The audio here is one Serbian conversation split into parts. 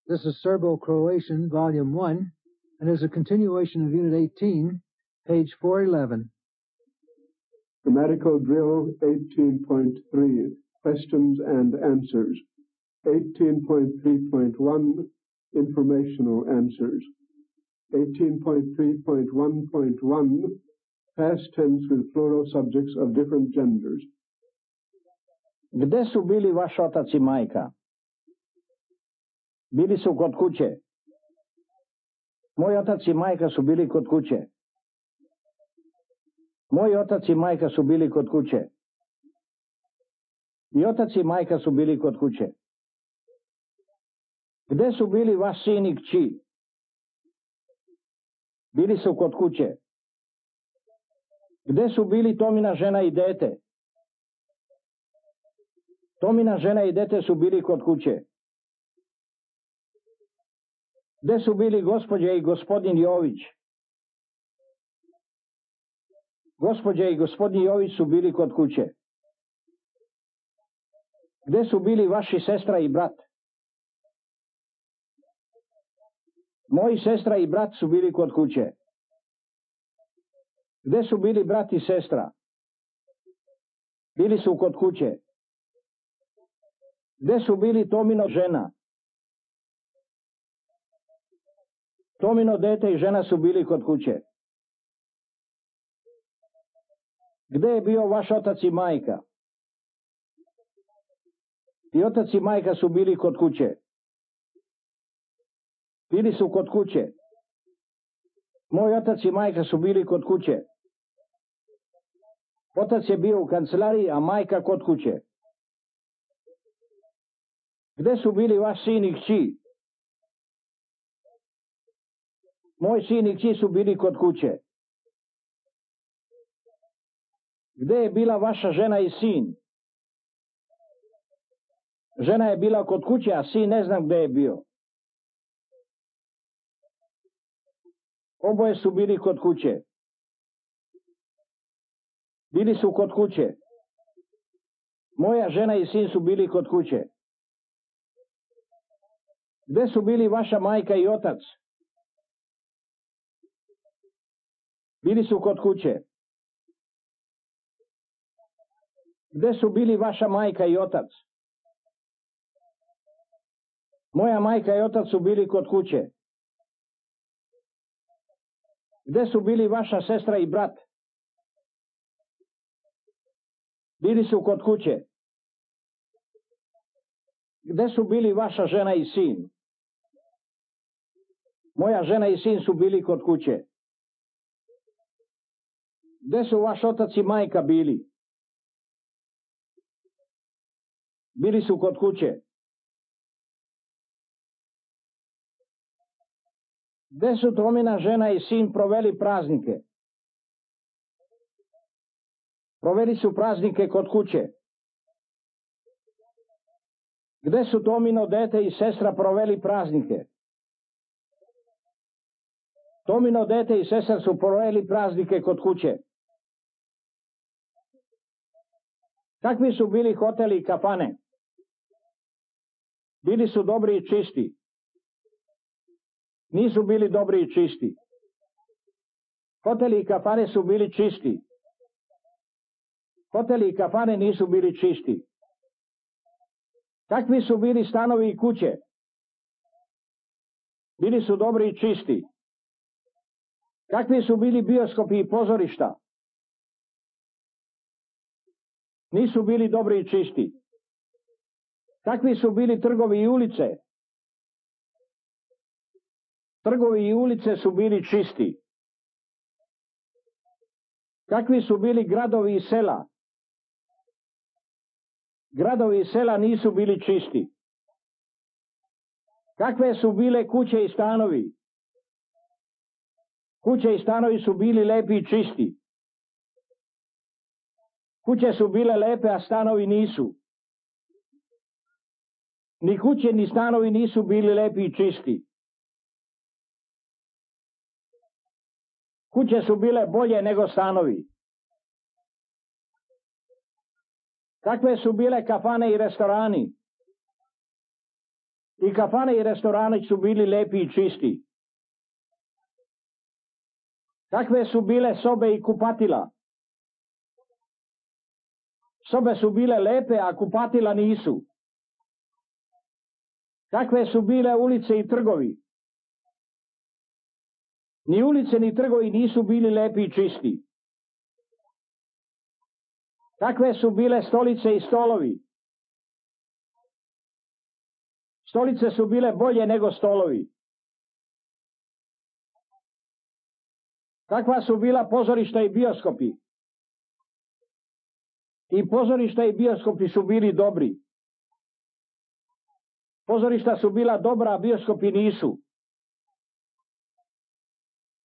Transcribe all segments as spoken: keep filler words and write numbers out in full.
This is Serbo-Croatian, Volume one, and is a continuation of Unit eighteen, page four eleven. Grammatical Drill eighteen point three, Questions and Answers. eighteen point three point one, Informational Answers. eighteen point three point one point one, Past tense with plural subjects of different genders. Gde su bili vaš otac i majka? Bili su kod kuće. Moj otac i majka su bili kod kuće. Moj otac i majka su bili kod kuće. I otac i majka su bili kod kuće. Gde su bili vaš sin i kći? Bili su kod kuće. Gde su bili Tomina žena i dete? Tomina žena i dete su bili kod kuće. Gde su bili gospođa i gospodin Jović? Gospođa i gospodin Jović su bili kod kuće. Gde su bili vaši sestra i brat? Moji sestra i brat su bili kod kuće. Gde su bili brat i sestra? Bili su kod kuće. Gde su bili Tomino žena? Tomino dete i žena su bili kod kuće. Gde je bio vaš otac i majka? I otac i majka su bili kod kuće. Bili su kod kuće. Moj otac i majka su bili kod kuće. Otac je bio u kancelariji, a majka kod kuće. Gde su bili vaš sin i kći? Moj sin i kći su bili kod kuće. Gde je bila vaša žena i sin? Žena je bila kod kuće, a sin ne znam gde je bio. Oboje su bili kod kuće. Bili su kod kuće. Moja žena i sin su bili kod kuće. Gde su bili vaša majka i otac? Bili su kod kuće. Gde su bili vaša majka i otac? Moja majka i otac su bili kod kuće. Gde su bili vaša sestra i brat? Bili su kod kuće. Gde su bili vaša žena i sin? Moja žena i sin su bili kod kuće. Gde su vaš otac i majka bili? Bili su kod kuće. Gde su Tomina žena i sin proveli praznike? Proveli su praznike kod kuće. Gde su Tomino dete i sestra proveli praznike? Tomino dete i sestra su proveli praznike kod kuće. Kakvi su bili hoteli i kafane? Bili su dobri i čisti. Nisu bili dobri i čisti. Hoteli i kafane su bili čisti. Hoteli i kafane nisu bili čisti. Kakvi su bili stanovi i kuće? Bili su dobri i čisti. Kakvi su bili bioskopi i pozorišta? Nisu bili dobri i čisti. Kakvi su bili trgovi i ulice? Trgovi i ulice su bili čisti. Kakvi su bili gradovi i sela? Gradovi i sela nisu bili čisti. Kakve su bile kuće i stanovi? Kuće i stanovi su bili lepi i čisti. Kuće su bile lepe, a stanovi nisu. Ni kuće ni stanovi nisu bili lepi i čisti. Kuće su bile bolje nego stanovi. Kakve su bile kafane i restorani? I kafane i restorani su bili lepi i čisti. Kakve su bile sobe i kupatila? Sobe su bile lepe, a kupatila nisu. Kakve su bile ulice i trgovi? Ni ulice ni trgovi nisu bili lepi i čisti. Kakve su bile stolice i stolovi? Stolice su bile bolje nego stolovi. Kakva su bila pozorišta i bioskopi? I pozorišta i bioskopi su bili dobri. Pozorišta su bila dobra, a bioskopi nisu.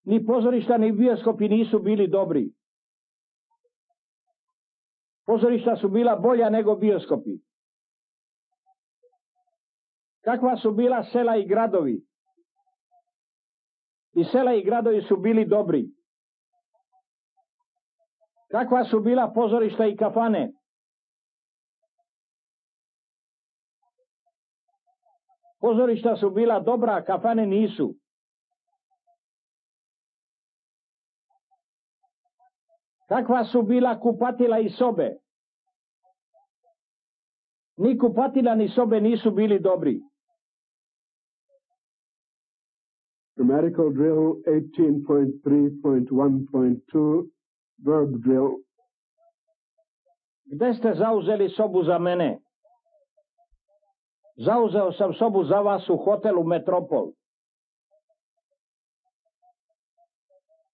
Ni pozorišta ni bioskopi nisu bili dobri. Pozorišta su bila bolja nego bioskopi. Kakva su bila sela i gradovi? I sela i gradovi su bili dobri. Kakva su bila pozorišta i kafane? Pozorišta su bila dobra, a kafane nisu. Kakva su bila kupatila i sobe? Ni kupatila ni sobe nisu bili dobri. Grammatical drill eighteen point three point one point two, verb drill. Gde ste zauzeli sobu za mene? Zauzeo sam sobu za vas u hotelu Metropol.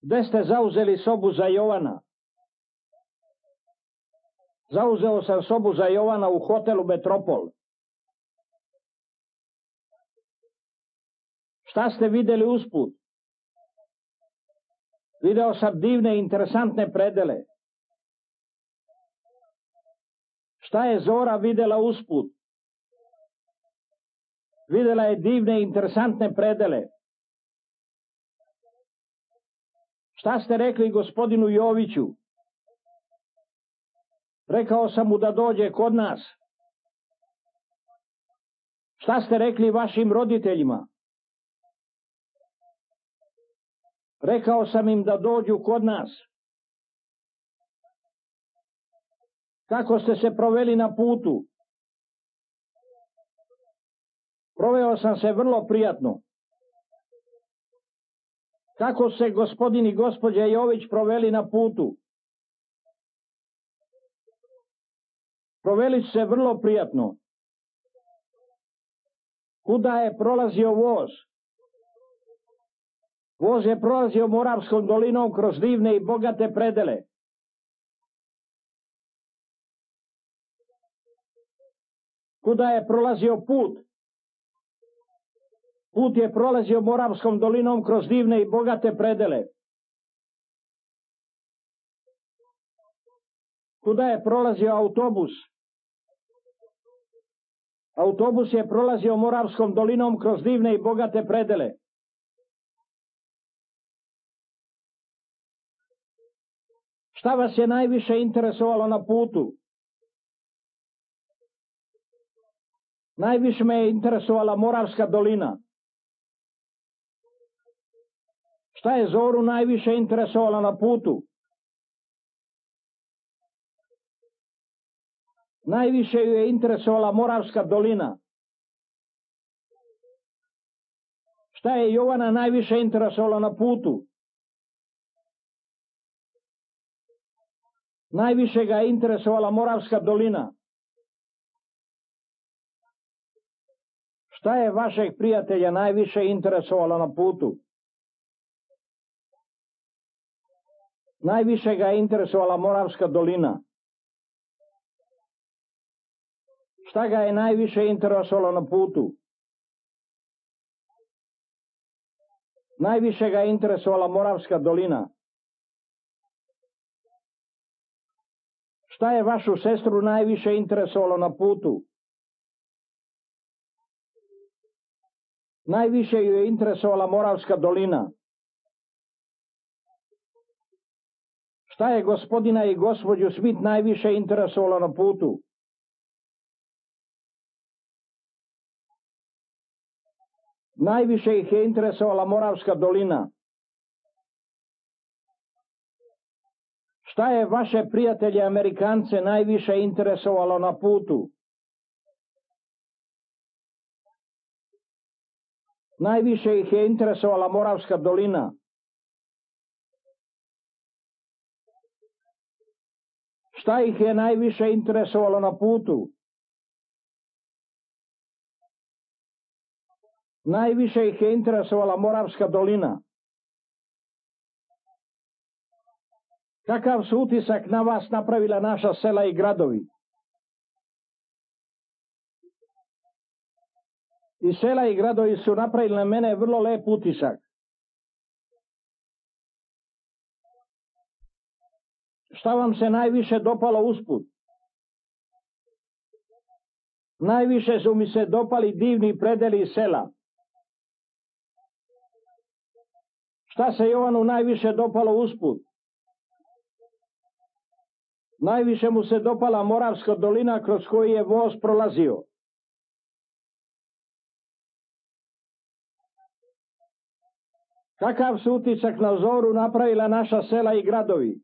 Gde ste zauzeli sobu za Jovana? Zauzeo sam sobu za Jovana u hotelu Metropol. Šta ste videli usput? Video sam divne, interesantne predele. Šta je Zora videla usput? Videla je divne, interesantne predele. Šta ste rekli gospodinu Joviću? Rekao sam mu da dođe kod nas. Šta ste rekli vašim roditeljima? Rekao sam im da dođu kod nas. Kako ste se proveli na putu? Proveo sam se vrlo prijatno. Kako se gospodin i gospođa Jović proveli na putu? Proveli su se vrlo prijatno. Kuda je prolazio voz? Voz je prolazio Moravskom dolinom kroz divne i bogate predele. Kuda je prolazio put? Put je prolazio Moravskom dolinom kroz divne i bogate predele. Kuda je prolazio autobus? Autobus je prolazio Moravskom dolinom kroz divne i bogate predele. Šta vas je najviše interesovalo na putu? Najviše me je interesovala Moravska dolina. Šta je Zoru najviše interesovalo na putu? Najviše ju je interesovala Moravska dolina. Šta je Jovana najviše interesovalo na putu? Najviše ga je interesovala Moravska dolina. Šta je vašeg prijatelja najviše interesovalo na putu? Najviše ga je interesovala Moravska dolina. Šta ga je najviše interesovalo na putu? Najviše ga je interesovala Moravska dolina. Šta je vašu sestru najviše interesovalo na putu? Najviše ju je interesovala Moravska dolina. Šta je gospodina i gospođu Smith najviše interesovalo na putu? Najviše ih je interesovala Moravska dolina. Šta je vaše prijatelje Amerikance najviše interesovalo na putu? Najviše ih je interesovala Moravska dolina. Šta ih je najviše interesovalo na putu? Najviše ih je interesovala Moravska dolina. Kakav su utisak na vas napravila naša sela i gradovi? I sela i gradovi su napravili na mene vrlo lep utisak. Šta vam se najviše dopalo usput? Najviše su mi se dopali divni predeli sela. Šta se Jovanu najviše dopalo usput? Najviše mu se dopala Moravska dolina kroz koju je voz prolazio. Kakav su utisak na zoru napravila naša sela i gradovi?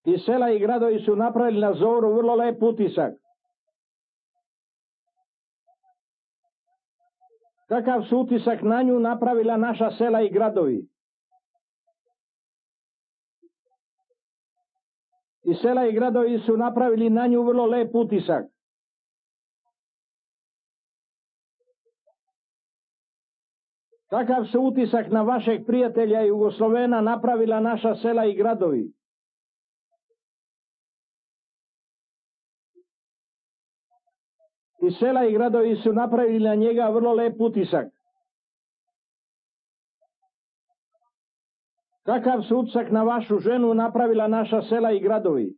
I sela i gradovi su napravili na zoru vrlo lep utisak. Kakav su utisak na nju napravila naša sela i gradovi? I sela i gradovi su napravili na nju vrlo lep utisak. Kakav su utisak na vašeg prijatelja Jugoslovena napravila naša sela i gradovi? I sela i gradovi su napravili na njega vrlo lep utisak. Kakav su utisak na vašu ženu napravila naša sela i gradovi?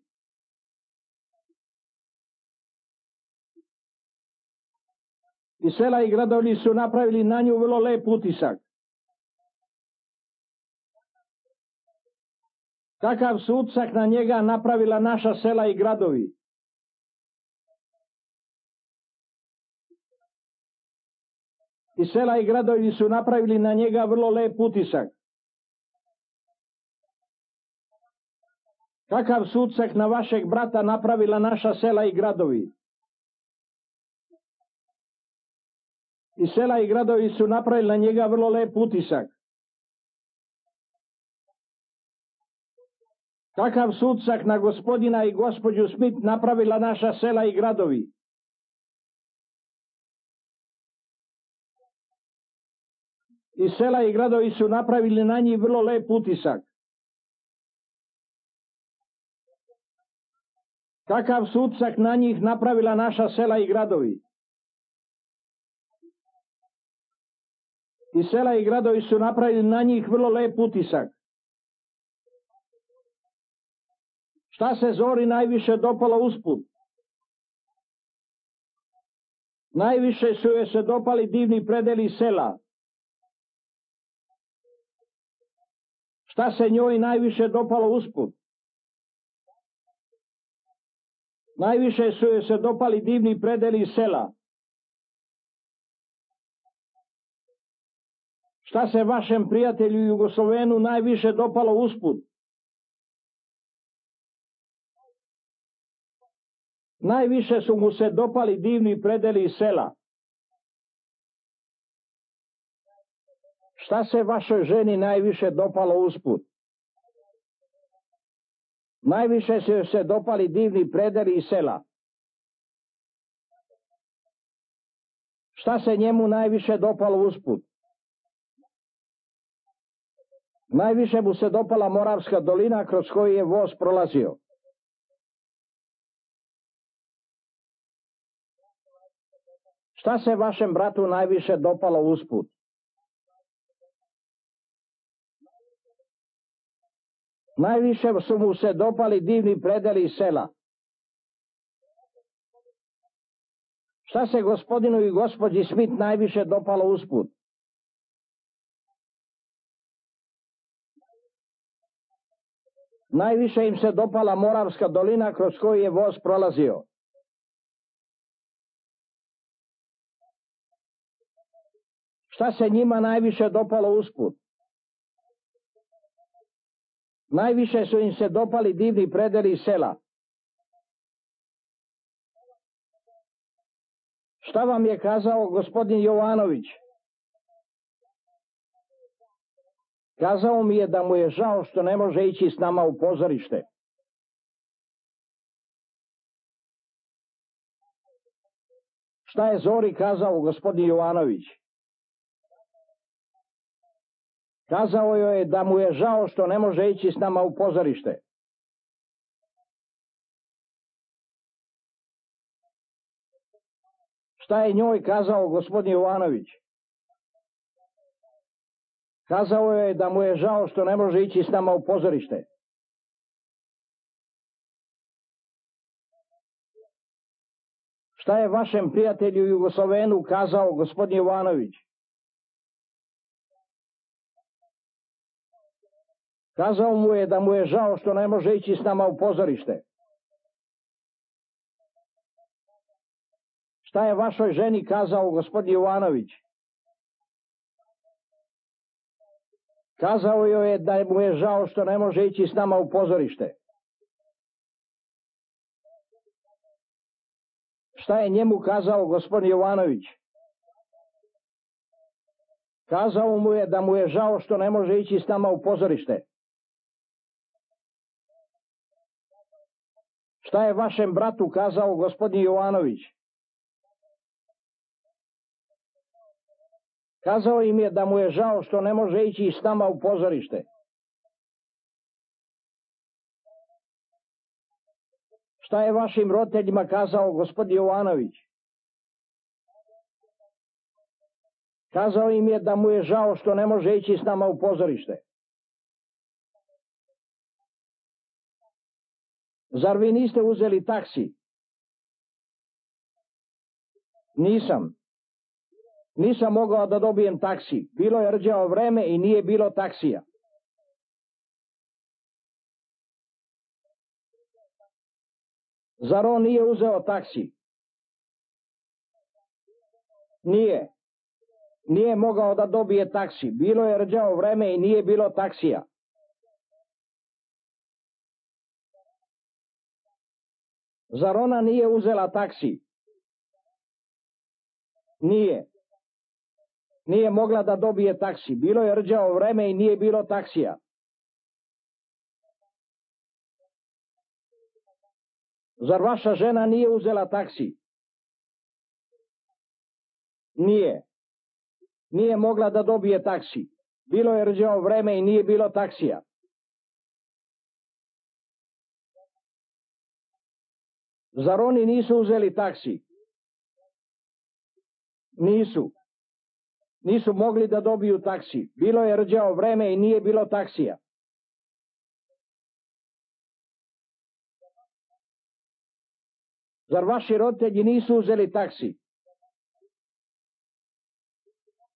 I sela i gradovi su napravili na nju vrlo lep utisak. Kakav su utisak na njega napravila naša sela i gradovi? I sela i gradovi su napravili na njega vrlo lep utisak. Kakav su utisak na vašeg brata napravila naša sela i gradovi? I sela i gradovi su napravili na njega vrlo lep utisak. Kakav su utisak na gospodina i gospođu Smith napravila naša sela i gradovi? I sela i gradovi su napravili na njih vrlo lep utisak. Kakav su utisak na njih napravila naša sela i gradovi? I sela i gradovi su napravili na njih vrlo lep utisak. Šta se zori najviše dopalo usput? Najviše su joj se dopali divni predeli sela. Šta se njoj najviše dopalo usput? Najviše su joj se dopali divni predeli sela. Šta se vašem prijatelju Jugoslovenu najviše dopalo usput? Najviše su mu se dopali divni predeli sela. Šta se vašoj ženi najviše dopalo usput? Najviše su joj se dopali divni predeli sela. Šta se njemu najviše dopalo usput? Najviše mu se dopala Moravska dolina kroz koju je voz prolazio. Šta se vašem bratu najviše dopalo usput? Najviše su mu se dopali divni predeli sela. Šta se gospodinu i gospođi Smith najviše dopalo usput? Najviše im se dopala Moravska dolina kroz koju je voz prolazio. Šta se njima najviše dopalo usput? Najviše su im se dopali divni predeli iz sela. Šta vam je kazao gospodin Jovanović? Kazao mi je da mu je žao što ne može ići s nama u pozorište. Šta je Zori kazao gospodin Jovanović? Kazao joj je da mu je žao što ne može ići s nama u pozorište. Šta je njoj kazao gospodin Jovanović? Kazao je da mu je žao što ne može ići s nama u pozorište. Šta je vašem prijatelju Jugoslovenu kazao gospodin Jovanović? Kazao mu je da mu je žao što ne može ići s nama u pozorište. Šta je vašoj ženi kazao gospodin Jovanović? Kazao joj je da mu je žao što ne može ići s nama u pozorište. Šta je njemu kazao gospodin Jovanović? Kazao mu je da mu je žao što ne može ići s nama u pozorište. Šta je vašem bratu kazao gospodin Jovanović? Kazao im je da mu je žao što ne može ići s nama u pozorište. Šta je vašim roditeljima kazao gospodin Jovanović? Kazao im je da mu je žao što ne može ići s nama u pozorište. Zar vi niste uzeli taksi? Nisam. Nisam mogao da dobijem taksi. Bilo je rđavo vreme i nije bilo taksija. Zar on nije uzeo taksi? Nije. Nije mogao da dobije taksi. Bilo je rđavo vreme i nije bilo taksija. Zar ona nije uzela taksi? Nije. Nije mogla da dobije taksi. Bilo je rđavo vreme i nije bilo taksija. Zar vaša žena nije uzela taksi? Nije. Nije mogla da dobije taksi. Bilo je rđavo vreme i nije bilo taksija. Zar oni nisu uzeli taksi? Nisu. Nisu mogli da dobiju taksi. Bilo je rđavo vreme i nije bilo taksija. Zar vaši roditelji nisu uzeli taksi?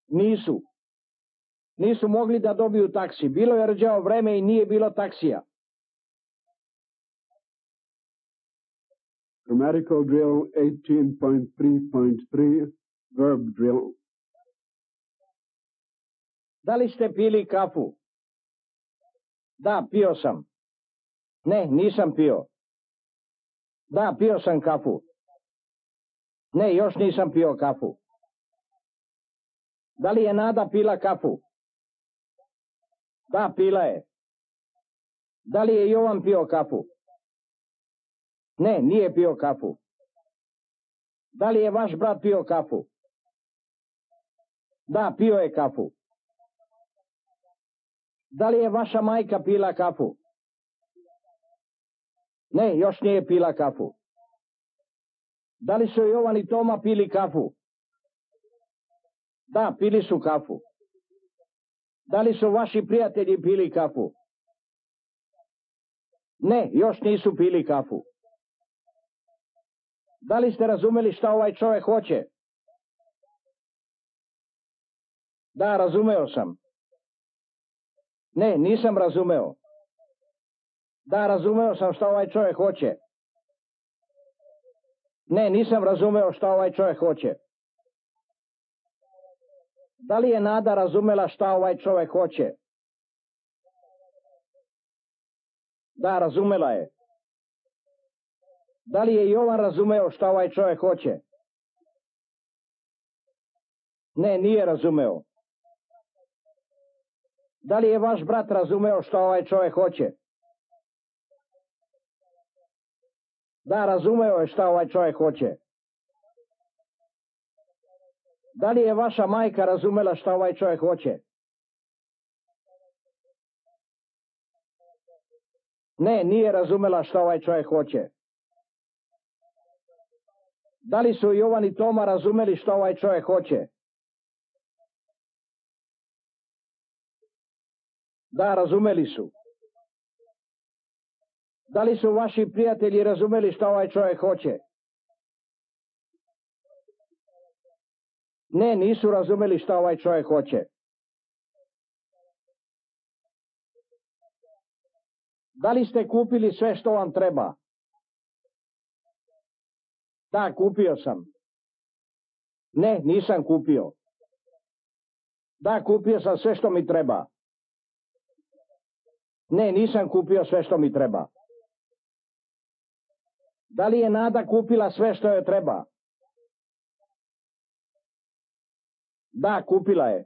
Nisu. Nisu mogli da dobiju taksi. Bilo je rđavo vreme i nije bilo taksija. Grammatical drill eighteen point three point three, verb drill. Da li ste pili kafu? Da, pio sam. Ne, nisam pio. Da, pio sam kafu. Ne, još nisam pio kafu. Da li je Nada pila kafu? Da, pila je. Da li je Jovan pio kafu? Ne, nije pio kafu. Da li je vaš brat pio kafu? Da, pio je kafu. Da li je vaša majka pila kafu? Ne, još nije pila kafu. Da li su Jovan i Toma pili kafu? Da, pili su kafu. Da li su vaši prijatelji pili kafu? Ne, još nisu pili kafu. Da li ste razumeli šta ovaj čovjek hoće? Da, razumeo sam. Ne, nisam razumeo. Da, razumeo sam šta ovaj čovjek hoće. Ne, nisam razumeo šta ovaj čovjek hoće. Da li je Nada razumela šta ovaj čovjek hoće? Da, razumela je. Da li je Jovan razumeo šta ovaj čovjek hoće? Ne, nije razumeo. Da li je vaš brat razumeo šta ovaj čovjek hoće? Da, razumeo je šta ovaj čovjek hoće. Da li je vaša majka razumela šta ovaj čovjek hoće? Ne, nije razumela šta ovaj čovjek hoće. Da li su Jovan i Toma razumeli šta ovaj čovjek hoće? Da, razumeli su. Da li su vaši prijatelji razumeli šta ovaj čovjek hoće? Ne, nisu razumeli šta ovaj čovjek hoće. Da li ste kupili sve što vam treba? Da, kupio sam. Ne, nisam kupio. Da, kupio sam sve što mi treba. Ne, nisam kupio sve što mi treba. Da li je Nada kupila sve što joj treba? Da, kupila je.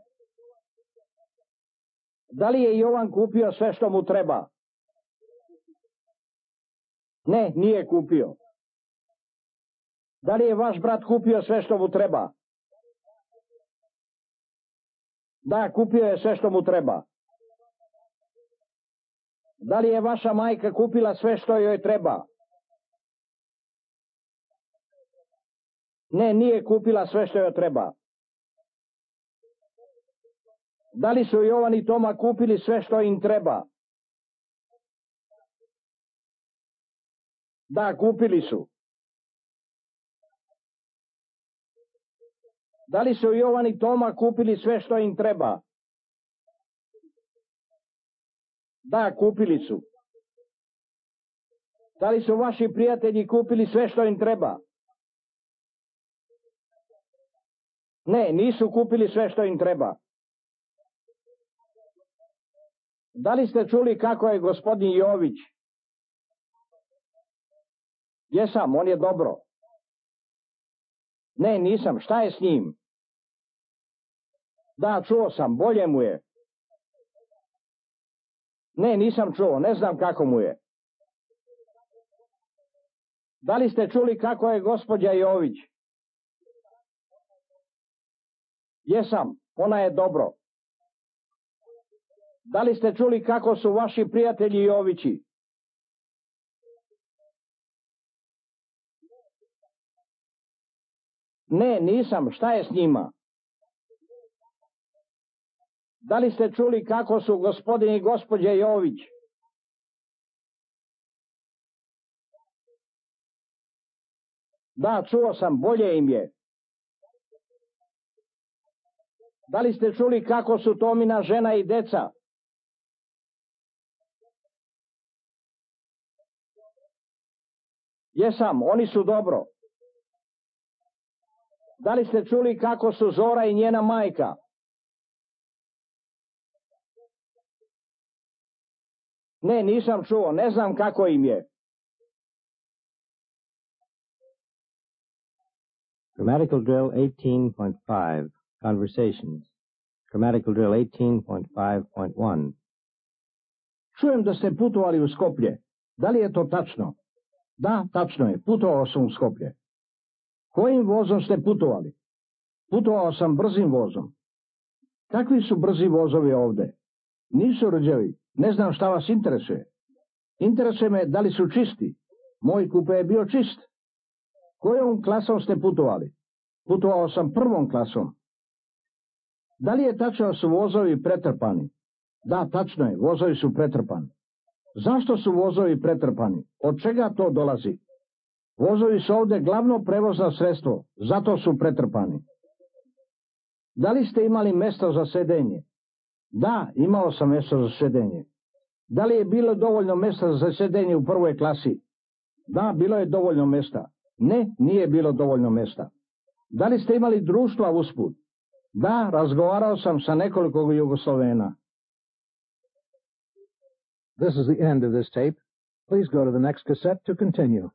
Da li je Jovan kupio sve što mu treba? Ne, nije kupio. Da li je vaš brat kupio sve što mu treba? Da, kupio je sve što mu treba. Da li je vaša majka kupila sve što joj treba? Ne, nije kupila sve što joj treba. Da li su Jovan i Toma kupili sve što im treba? Da, kupili su. Da li su Jovan i Toma kupili sve što im treba? Da, kupili su. Da li su vaši prijatelji kupili sve što im treba? Ne, nisu kupili sve što im treba. Da li ste čuli kako je gospodin Jović? Jesam, on je dobro. Ne, nisam, šta je s njim? Da, čuo sam, bolje mu je. Ne, nisam čuo, ne znam kako mu je. Da li ste čuli kako je gospođa Jović? Jesam, ona je dobro. Da li ste čuli kako su vaši prijatelji Jovići? Ne, nisam, šta je s njima? Da li ste čuli kako su gospodin i gospođa Jović? Da, čuo sam, bolje im je. Da li ste čuli kako su Tomina žena i deca? Jesam, oni su dobro. Da li ste čuli kako su Zora i njena majka? Ne, nisam čuo, ne znam kako im je. Grammatical drill eighteen point five, Conversations. Grammatical drill eighteen point five point one. Čujem da ste putovali u Skoplje. Da li je to tačno? Da, tačno je, putovao sam u Skoplje. Kojim vozom ste putovali? Putovao sam brzim vozom. Kakvi su brzi vozovi ovde? Nisu rđavi, ne znam šta vas interesuje. Interesuje me da li su čisti. Moj kupe je bio čist. Kojom klasom ste putovali? Putovao sam prvom klasom. Da li je tačno da su vozovi pretrpani? Da, tačno je, vozovi su pretrpani. Zašto su vozovi pretrpani? Od čega to dolazi? Vozovi su ovde glavno prevozno sredstvo, zato su pretrpani. Da li ste imali mesto za sedenje? Da, imao sam mesto za sedenje. Da li je bilo dovoljno mesta za sedenje u prvoj klasi? Da, bilo je dovoljno mesta. Ne, nije bilo dovoljno mesta. Da li ste imali društva usput? Da, razgovarao sam sa nekoliko Jugoslovena. This is the end of this tape. Please go to the next cassette to continue.